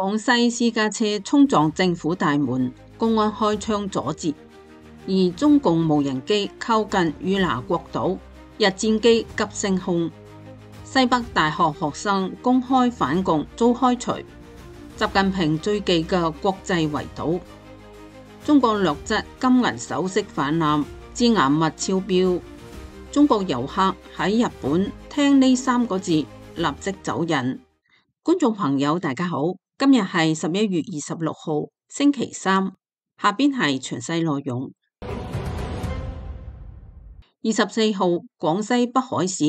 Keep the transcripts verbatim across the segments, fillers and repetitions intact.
廣西私家車衝撞政府大門，公安開槍阻截。而中共無人機靠近與那國島，日戰機急升空。西北大學學生公開反共遭開除。習近平最忌嘅國際圍堵。中國劣質金銀首飾氾濫，致癌物超標。中國遊客喺日本聽呢三個字立即走人。觀眾朋友大家好，今日係十一月二十六號星期三，下邊係詳細內容。二十四號，廣西北海市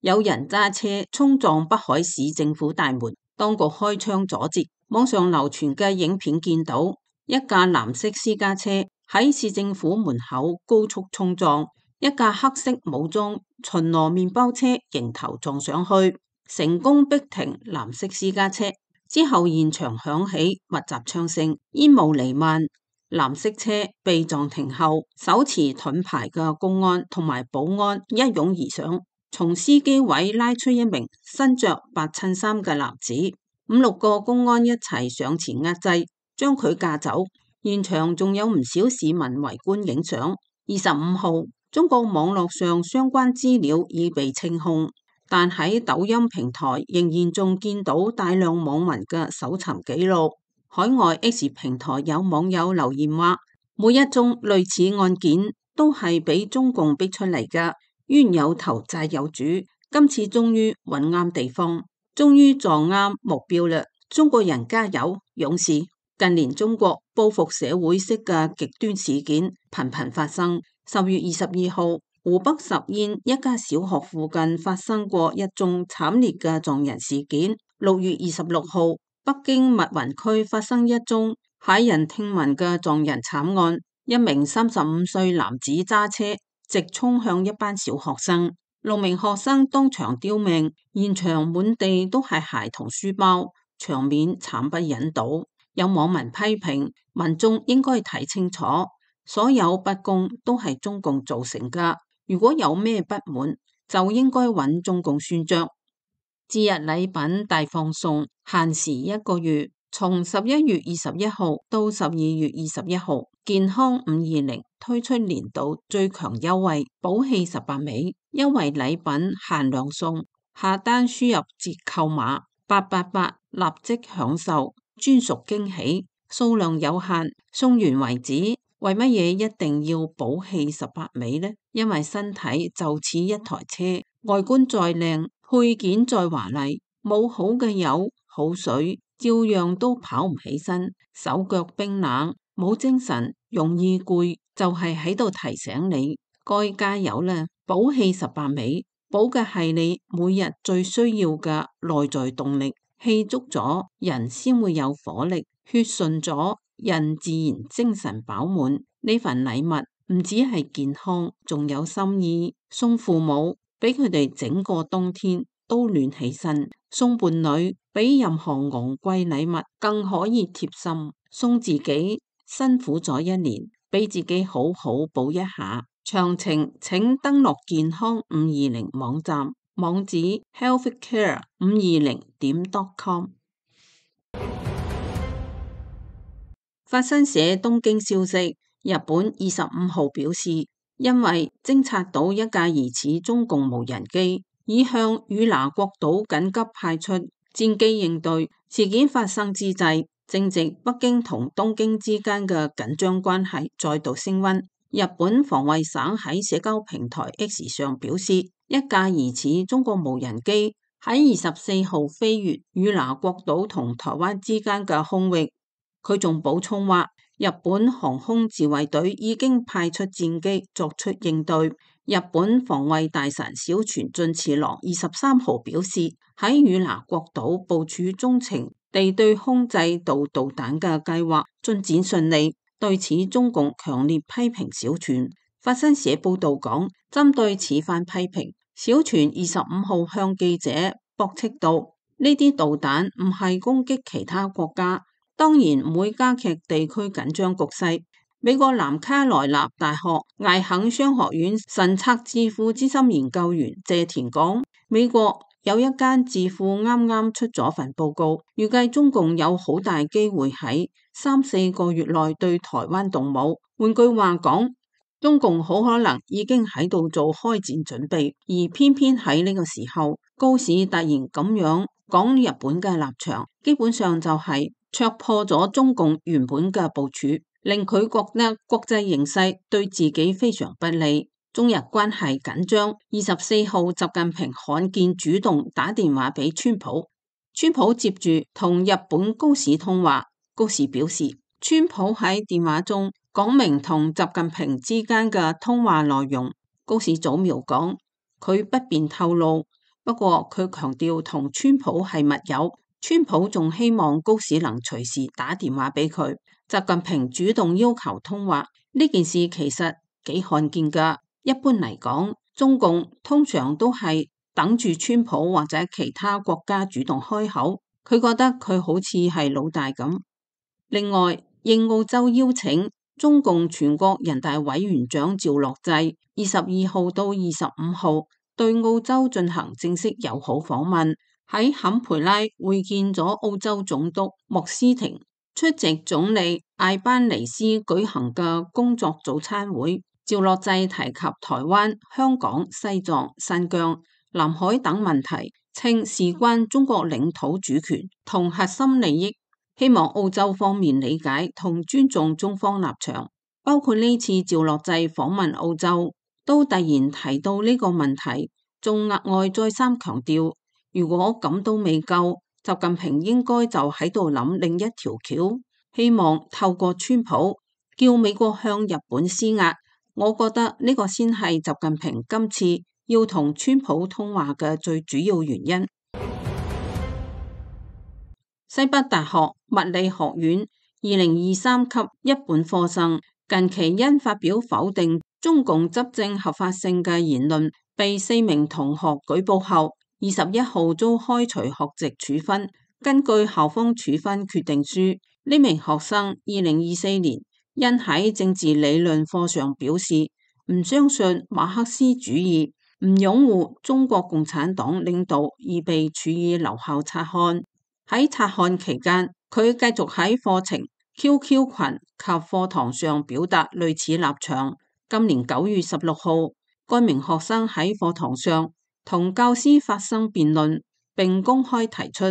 有人揸車衝撞北海市政府大門，當局開槍阻截。網上流傳嘅影片見到一架藍色私家車喺市政府門口高速衝撞一架黑色武裝巡邏麵包車，迎頭撞上去，成功逼停藍色私家車。之後現場響起密集槍聲，煙霧彌漫。藍色車被撞停後，手持盾牌嘅公安同埋保安一擁而上，從司機位拉出一名身着白襯衫嘅男子，五六個公安一齊上前壓制，將佢架走。現場仲有唔少市民圍觀影相。二十五號，中國網絡上相關資料已被清空，但喺抖音平台仍然仲見到大量網民嘅搜尋記錄。海外 X 平台有網友留言話，每一宗類似案件都係俾中共逼出嚟㗎，冤有頭債有主，今次終於揾啱地方，終於撞啱目標啦！中國人加油，勇士！近年中國報復社會式嘅極端事件頻頻發生。十月二十二號，湖北十堰一家小學附近發生過一宗慘烈嘅撞人事件。六月二十六號，北京密雲區發生一宗駭人聽聞嘅撞人慘案，一名三十五歲男子揸車直衝向一班小學生，六名學生當場丟命，現場滿地都係鞋同書包，場面慘不忍睹。有網民批評民眾應該睇清楚，所有不公都係中共造成噶，如果有咩不滿就應該揾中共算賬。節日禮品大放送限時一個月，從十一月二十一號到十二月二十一號，健康五二零推出年度最強優惠寶氣十八味優惠禮品限量送，下單輸入折扣碼八八八立即享受專屬驚喜，數量有限，送完為止。為乜嘢一定要寶氣十八味呢？因為身體就似一台車，外觀再靚，配件再華麗，冇好嘅油好水，照樣都跑唔起身，手腳冰冷，冇精神，容易攰，就係喺度提醒你該加油啦！寶氣十八味，補嘅係你每日最需要嘅內在動力。氣足咗，人先會有火力；血順咗，人自然精神飽滿。呢份禮物唔止係健康，仲有心意。送父母，俾佢哋整個冬天都暖起身；送伴侶，比任何昂貴禮物更可以貼心。送自己，辛苦咗一年，俾自己好好補一下。詳情請登錄健康五二零網站。網址 healthcare 五二零點 com。 法新社東京消息，日本二十五號表示，因為偵察到一架疑似中共無人機，已向與那國島緊急派出戰機應對。事件發生之際，正值北京同東京之間嘅緊張關係再度升溫。日本防衛省喺社交平台 X 上表示，一架疑似中國無人機喺二十四號飛越與那國島同台灣之間嘅空域。佢仲補充話，日本航空自衛隊已經派出戰機作出應對。日本防衛大臣小泉進次郎二十三號表示，喺與那國島部署中程地對空制導導彈嘅計劃進展順利。對此，中共強烈批評小泉。法新社報道講，針對此番批評，小泉二十五號向記者駁斥道，呢啲導彈唔係攻擊其他國家，當然唔會加劇地區緊張局勢。美國南卡羅來納大學艾肯商學院神策智庫資深研究員謝田講，美國有一間智庫啱啱出咗份報告，預計中共有好大機會喺三四個月內對台灣動武。換句話講，中共好可能已經喺度做開戰準備，而偏偏喺呢個時候，高市突然咁樣講日本嘅立場，基本上就係戳破咗中共原本嘅部署，令佢覺得國際形勢對自己非常不利。中日關係緊張，二十四號習近平罕見主動打電話俾川普，川普接住同日本高市通話，高市表示川普喺電話中講明同習近平之間嘅通話內容，高市早苗講佢不便透露，不過佢強調同川普係密友，川普仲希望高市能隨時打電話俾佢。習近平主動要求通話呢件事其實幾罕見噶。一般嚟講，中共通常都係等住川普或者其他國家主動開口，佢覺得佢好似係老大咁。另外，應澳洲邀請，中共全國人大委員長趙樂際二十二號到二十五號對澳洲進行正式友好訪問，喺坎培拉會見咗澳洲總督莫斯廷，出席總理艾班尼斯舉行嘅工作早餐會。趙樂際提及台灣、香港、西藏、新疆、南海等問題，稱事關中國領土主權同核心利益，希望澳洲方面理解同尊重中方立場。包括呢次趙樂際訪問澳洲，都突然提到呢個問題，仲額外再三強調，如果咁都未夠，習近平應該就喺度諗另一條橋，希望透過川普叫美國向日本施壓。我覺得呢個先係習近平今次要同川普通話嘅最主要原因。西北大學物理學院二零二三級一本科生近期因發表否定中共執政合法性嘅言論，被四名同學舉報後，二十一號遭開除學籍處分。根據校方處分決定書，呢名學生二零二四年因喺政治理論課上表示唔相信馬克思主義、唔擁護中國共產黨領導而被處以留校察看。喺察看期間，佢繼續喺課程、Q Q 群及課堂上表達類似立場。今年九月十六號，該名學生喺課堂上同教師發生辯論，並公開提出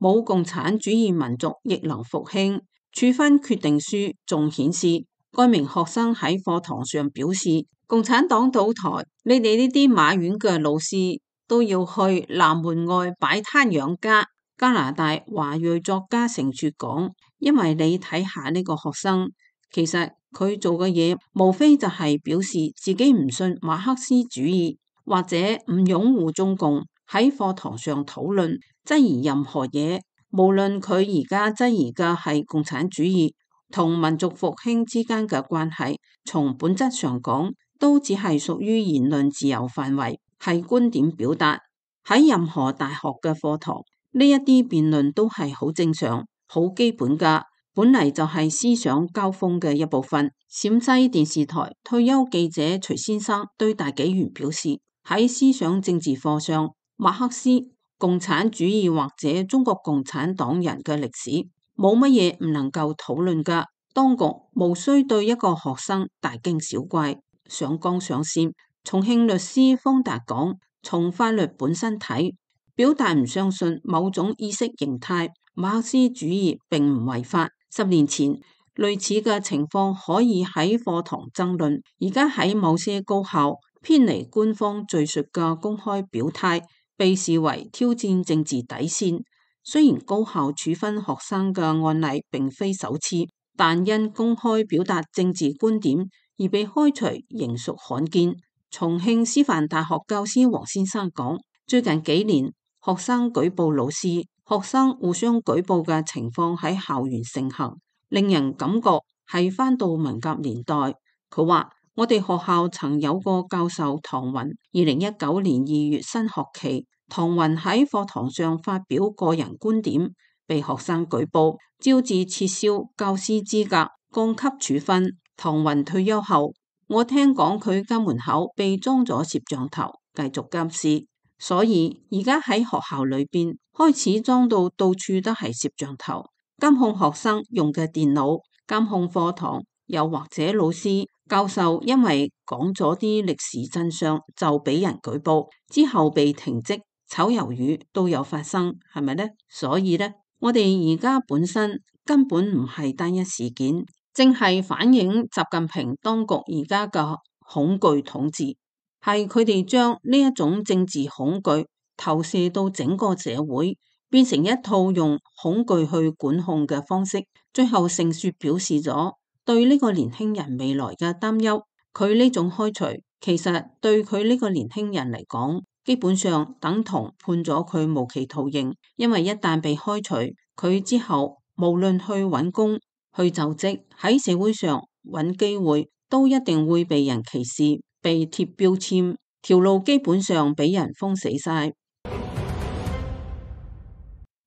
冇共產主義民族亦能復興。處分決定書仲顯示，該名學生喺課堂上表示，共產黨倒台，你哋呢啲馬院嘅老師都要去南門外擺攤養家。加拿大華裔作家成雪講，因為你睇下呢個學生，其實佢做嘅嘢無非就係表示自己唔信馬克思主義或者唔擁護中共。喺課堂上討論質疑任何嘢，無論佢而家質疑嘅係共產主義同民族復興之間嘅關係，從本質上講都只係屬於言論自由範圍，係觀點表達。喺任何大學嘅課堂，呢一啲辯論都係好正常、好基本噶，本嚟就係思想交鋒嘅一部分。陝西電視台退休記者徐先生對大紀元表示，喺思想政治課上，馬克思、共產主義或者中國共產黨人嘅歷史冇乜嘢唔能夠討論噶，當局無需對一個學生大驚小怪、上綱上線。重慶律師方達講，從法律本身睇，表達唔相信某種意識形態，馬克思主義並唔違法。十年前類似嘅情況可以喺課堂爭論，而家喺某些高校偏離官方敘述嘅公開表態，被視為挑戰政治底線。雖然高校處分學生嘅案例並非首次，但因公開表達政治觀點而被開除仍屬罕見。重慶師範大學教師黃先生講，最近幾年，學生舉報老師、學生互相舉報嘅情況喺校園盛行，令人感覺係返到文革年代。佢話：我哋學校曾有個教授唐雲，二零一九年二月新學期，唐雲喺課堂上發表個人觀點，被學生舉報，招致撤銷教師資格、降級處分。唐雲退休後，我聽講佢家門口被裝咗攝像頭，繼續監視。所以而家喺學校裏邊開始裝到到處都係攝像頭，監控學生用嘅電腦，監控課堂，又或者老師教授因為講咗啲歷史真相就俾人舉報，之後被停職，炒魷魚都有發生，係咪呢？所以呢，我哋而家本身根本唔係單一事件，正係反映習近平當局而家嘅恐懼統治，係佢哋將呢一種政治恐懼投射到整個社會，變成一套用恐懼去管控嘅方式，最後盛雪表示咗對呢個年輕人未來嘅擔憂。佢呢種開除其實對佢呢個年輕人嚟講，基本上等同判咗佢無期徒刑，因為一旦被開除，佢之後無論去揾工、去就職、喺社會上揾機會，都一定會被人歧視、被貼標籤，條路基本上俾人封死晒。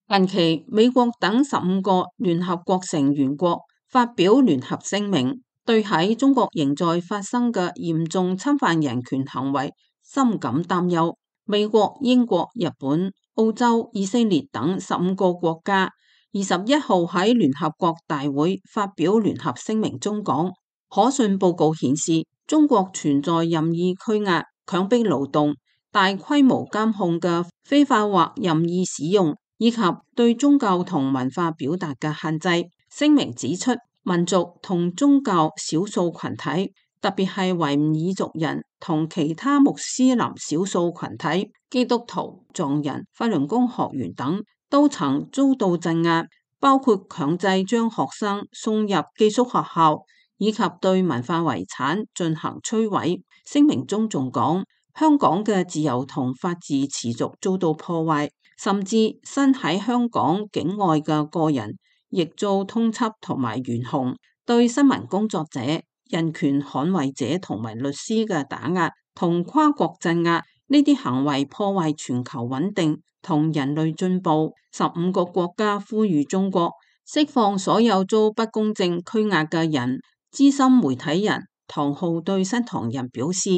近期美國等十五個聯合國成員國發表聯合聲明，對喺中國仍在發生嘅嚴重侵犯人權行為深感擔憂。美國、英國、日本、澳洲、以色列等十五個國家二十一號喺聯合國大會發表聯合聲明中講，可信報告顯示，中國存在任意拘押、強迫勞動、大規模監控嘅非法或任意使用，以及對宗教同文化表達嘅限制。聲明指出，民族同宗教少數群體，特別係維吾爾族人同其他穆斯林少數群體、基督徒、藏人、法輪功學員等，都曾遭到鎮壓，包括強制將學生送入寄宿學校，以及對文化遺產進行摧毀。聲明中仲講，香港嘅自由同法治持續遭到破壞，甚至身喺香港境外嘅個人亦遭通緝同埋懸紅，對新聞工作者、人權捍衛者同埋律師嘅打壓同跨國鎮壓，呢啲行為破壞全球穩定同人類進步。十五個國家呼籲中國釋放所有遭不公正拘押嘅人。資深媒體人唐浩對新唐人表示，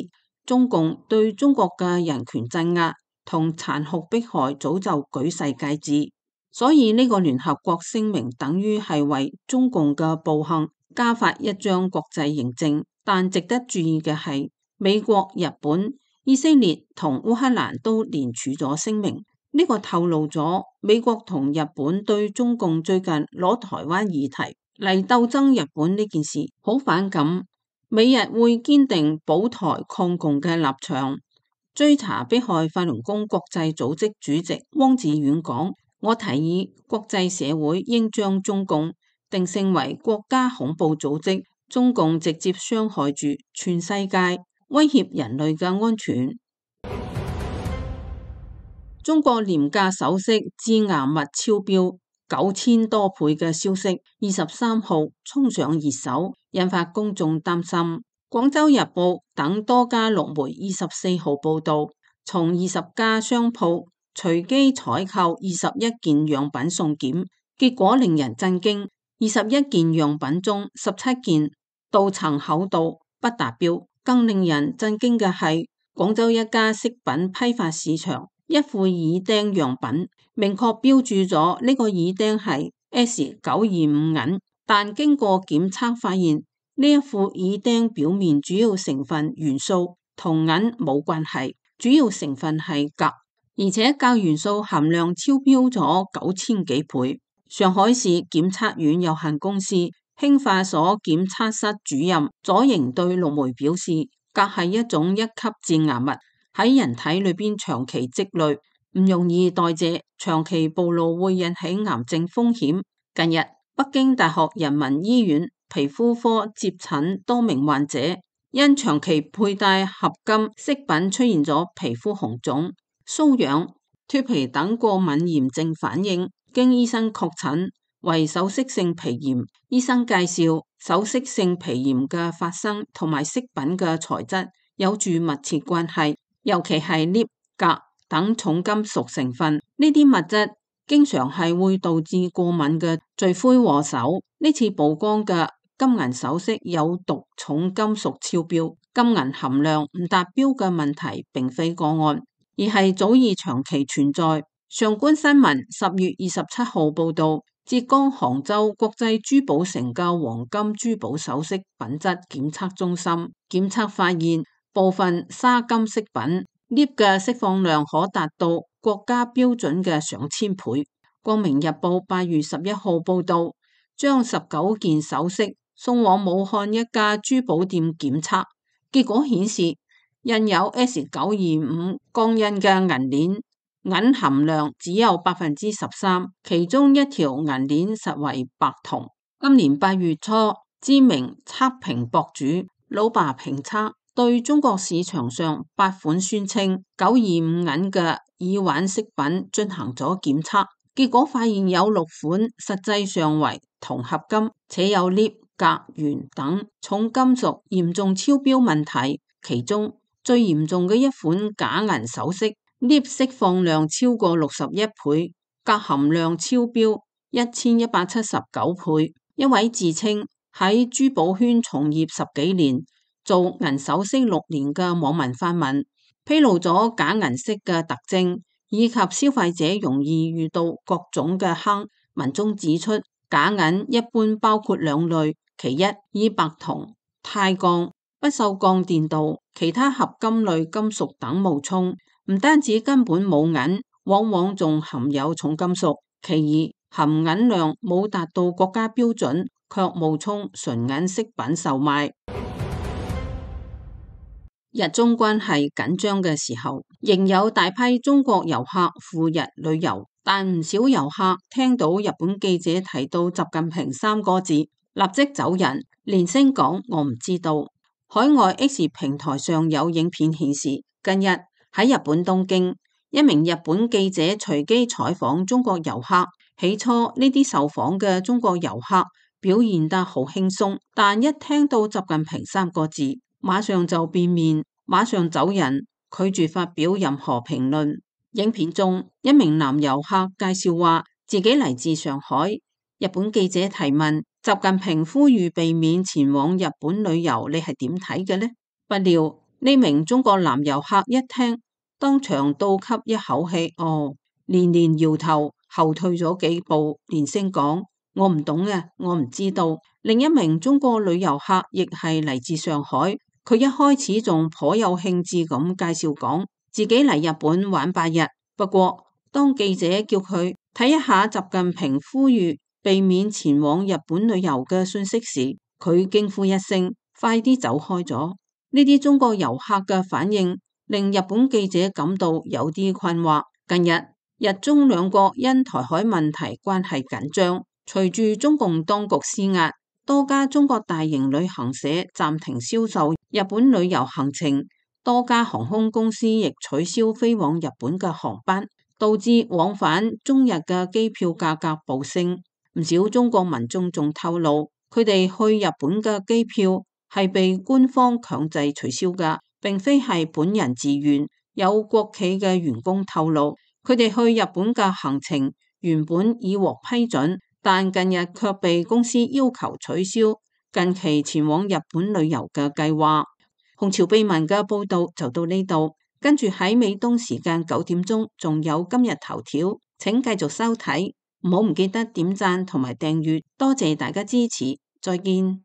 中共對中國嘅人權鎮壓同殘酷迫害早就舉世皆知，所以呢個聯合國聲明等於係為中共嘅暴行加發一張國際認證。但值得注意嘅係，美國、日本、以色列同烏克蘭都連署咗聲明，呢、這個透露咗美國同日本對中共最近攞台灣議題嚟鬥爭日本呢件事好反感。美日會堅定保台抗共嘅立場。追查迫害法輪功國際組織主席汪志遠講，我提議國際社會應將中共定性為國家恐怖組織，中共直接傷害住全世界，威脅人類嘅安全。中國廉價首飾致癌物超標九千多倍嘅消息，二十三號衝上熱搜，引發公眾擔心。廣州日報等多家陸媒二十四號報道，從二十家商鋪隨機採購二十一件樣品送檢，結果令人震驚。二十一件樣品中，十七件鍍層厚度不達標。更令人震驚嘅係，廣州一家飾品批發市場一副耳釘樣品，明確標注咗呢個耳釘係 S 九二五銀，但經過檢測發現，呢一副耳釘表面主要成分元素同銀冇關係，主要成分係鎘，而且鎘元素含量超標咗九千幾倍。上海市檢測院有限公司興化所檢測室主任左營對陸媒表示，鎘係一種一級致癌物，喺人體裏邊長期積累，唔容易代謝，長期暴露會引起癌症風險。近日，北京大學人民醫院皮膚科接診多名患者，因長期佩戴合金飾品出現咗皮膚紅腫、瘙癢、脫皮等過敏炎症反應，經醫生確診為首飾性皮炎。醫生介紹，首飾性皮炎嘅發生同埋飾品嘅材質有住密切關係，尤其係鎳、鎘等重金屬成分，呢啲物質經常係會導致過敏嘅罪魁禍首。呢次曝光嘅金銀首飾有毒重金屬超標，金銀含量唔達標嘅問題並非個案。而係早已長期存在。上官新聞十月二十七號報道，浙江杭州國際珠寶城嘅黃金珠寶首飾品質檢測中心檢測發現，部分砂金飾品鎳嘅釋放量可達到國家標準嘅上千倍。光明日報八月十一號報道，將十九件首飾送往武漢一家珠寶店檢測，結果顯示印有 S 九二五鋼印嘅銀鏈銀含量只有百分之十三，其中一條銀鏈實為白銅。今年八月初，知名測評博主老爸評測對中國市場上八款宣稱九二五銀嘅耳環飾品進行咗檢測，結果發現有六款實際上為銅合金，且有鎳、鎘、鉛等重金屬嚴重超標問題。其中最嚴重嘅一款假銀首飾，鎳釋放量超過六十一倍，鎘含量超標一千一百七十九倍。一位自稱喺珠寶圈從業十幾年、做銀首飾六年嘅網民發文，披露咗假銀飾嘅特徵，以及消費者容易遇到各種嘅坑。文中指出，假銀一般包括兩類，其一以白銅、鈦鋼、不鏽鋼電鍍、其他合金類金屬等冒充，唔單止根本冇銀，往往仲含有重金屬；其二含銀量冇達到國家標準，卻冒充純銀飾品售賣。日中關係緊張嘅時候，仍有大批中國遊客赴日旅遊，但唔少遊客聽到日本記者提到習近平三個字，立即走人，連聲講我唔知道。海外 X 平台上有影片顯示，近日喺日本東京，一名日本記者隨機採訪中國遊客。起初呢啲受訪嘅中國遊客表現得好輕鬆，但一聽到習近平三個字，馬上就變面，馬上走人，拒絕發表任何評論。影片中一名男遊客介紹話自己嚟自上海，日本記者提問習近平呼籲避免前往日本旅遊，你係點睇嘅呢？不料呢名中國男遊客一聽，當場倒吸一口氣，哦，連連搖頭，後退咗幾步，連聲講我唔懂啊，我唔知道。另一名中國女遊客亦係嚟自上海，佢一開始仲頗有興致咁介紹講自己嚟日本玩八日，不過當記者叫佢睇一下習近平呼籲避免前往日本旅遊嘅信息時，佢驚呼一聲，快啲走開咗。呢啲中國遊客嘅反應令日本記者感到有啲困惑。近日日中兩國因台海問題關係緊張，隨住中共當局施壓，多家中國大型旅行社暫停銷售日本旅遊行程，多家航空公司亦取消飛往日本嘅航班，導致往返中日嘅機票價格暴升。唔少中國民眾仲透露，佢哋去日本嘅機票係被官方強制取消㗎，並非係本人自願。有國企嘅員工透露，佢哋去日本嘅行程原本已獲批准，但近日卻被公司要求取消近期前往日本旅遊嘅計劃。紅潮秘聞嘅報道就到呢度，跟住喺美東時間九點鐘仲有今日頭條，請繼續收睇，唔好唔記得點讚同埋訂閱，多謝大家支持，再見。